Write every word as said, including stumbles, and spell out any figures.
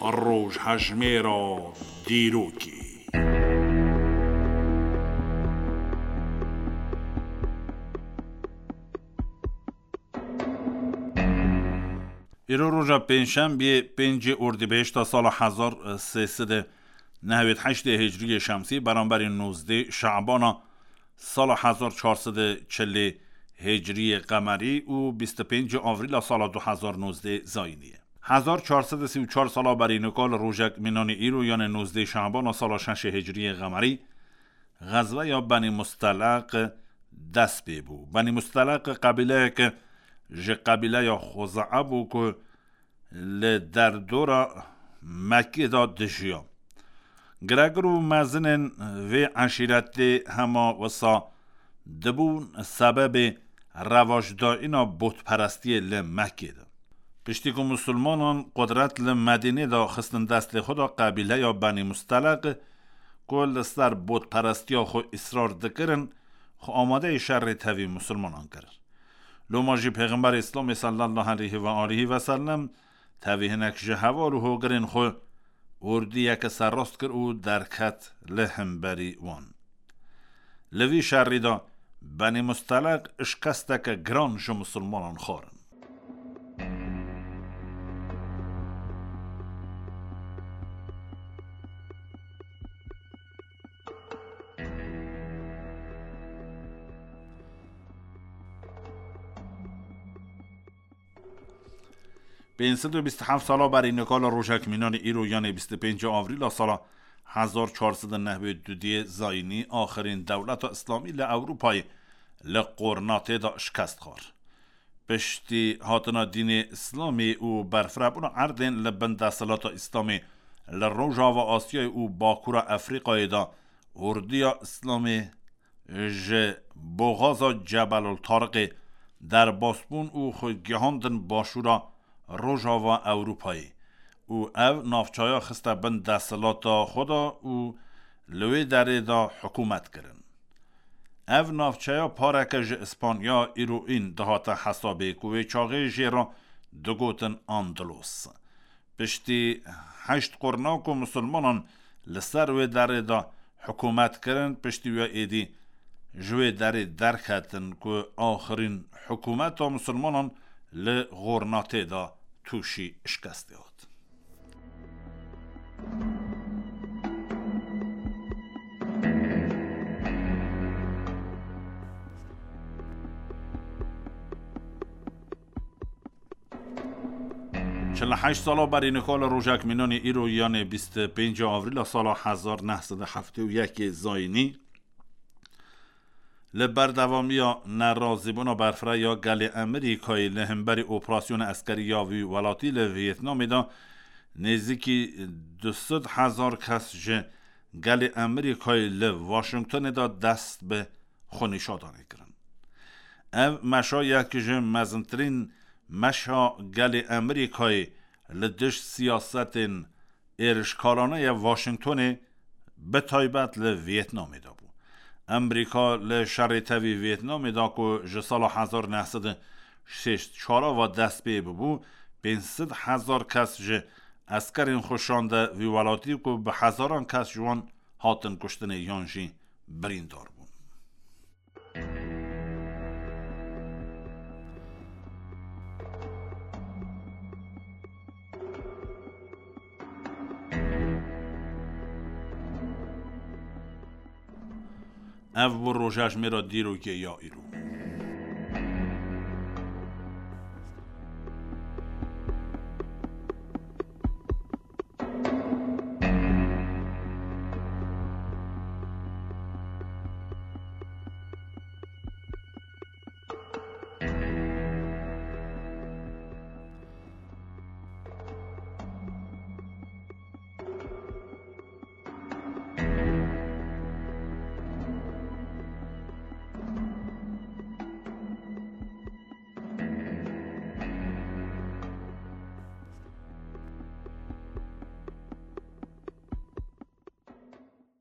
Rojhejmêra dîrokê. Îro roja pêncşembiyê, pêncê Ordîbehişta sala hezar sê sed û nehwêd heştê Hicriyê Şemsî, beramberî nozdê Şabana sala hezar çar sed û çilê Hicriyê Qemerî û bîst û pêncê Avrîla sala du hezar nozdê Zayînî ye. Hezar çar sed û sî û çar sala berî nika li rojek mînanî îro, yanê nozdê Şabana sala şeşê Hicriyê Qemerî, Xezweya Benî Musteleq dest pê bû. Benî Musteleq qebîleyeke ji qebîleya Xuzea bû ku li derdora Mekkê de dijiya. Giregir û mezinên vê eşîretê hema wisa dibûn sebebê revajdayîna botperestiyê li Mekkê de. Piştî ku misilmanan qudret li Medînê de xistin destê xwe de, qebîleya Benî Musteleq ku li ser botperestiya xwe îsrar dikirin, xwe amadeyê şerê tevî misilmanan kirin. Loma jî Pêxemberê Îslamê sallallahu aleyhi ve aleyhi ve sellem tevî hinek ji heval û hogirên xwe ordiyeke serrast kir û derket li hemberî wan. Li vî şerî de Benî Musteleq şikesteke giran ji misilmanan xwarin. Pênc sed û bîst û heft sala berî nika li rojek mînanî îro, yanê bîst û pêncê Avrîla sala hezar çar sed û nehwêd û duyê Zayînî, axirîn dewleta Îslamî li Ewropayê li Qornatê de şikest xwar. Piştî hatina dînê Îslamê û berfirebûna erdên li bin desthilata Îslamê li Rojava Asyayê û Bakûra Efrîqayê de ordiya Îslamê ji boxaza Cebelul Tariqê derbas bûn û xwe gihandin başûra Rojava Ewropayê û ev navçeya xiste bin desthilata xwe de û li wê derê de hikûmet kirin. Ev navçeya pareke ji Îspanya, îroîn, dihate hesabê ku wê çaxê jê re digotin Andalos. Piştî heşt qurna ku misilmanan li ser wê derê de hikûmet kirin, piştî wê êdî ji wê derê derketin ku axirîn hikûmeta misilmanan li Xornatê de tûşî şikestê hat. Çil û heşt sala berî nika li rojek mînanî îro, yanê bîst û pêncê Avrîla sala hezar neh sed û heftê û yekê Zayînî, li berdewamiya nerazîbûna berfireh ya gelê Amerîkayê li hemberî operasyona eskerî ya vî welatî li Vîetnamê de nêzîkî du sed hezar kes ji gelê Amerîkayê li Washingtonê de dest bi xwenîşadanê kirin. Ev meşa yek ji mezintirîn meşa gelê Amerîkayê li dij siyasetên êrişkarane ya Washingtonê, bi taybet li Vîetnamê de bû. Amerîka li şerê tevî Vîetnamê de ku ji sala hezar neh sed û şêst çar ve dest pê bûbû, pênc sed hezar kes ji eskerên xwe şande vî welatî ku bi hezaran kes ji wan hatin kuştinê yan jî birîndar bûn. Ev bû rojejmêra dîrokê ya îro.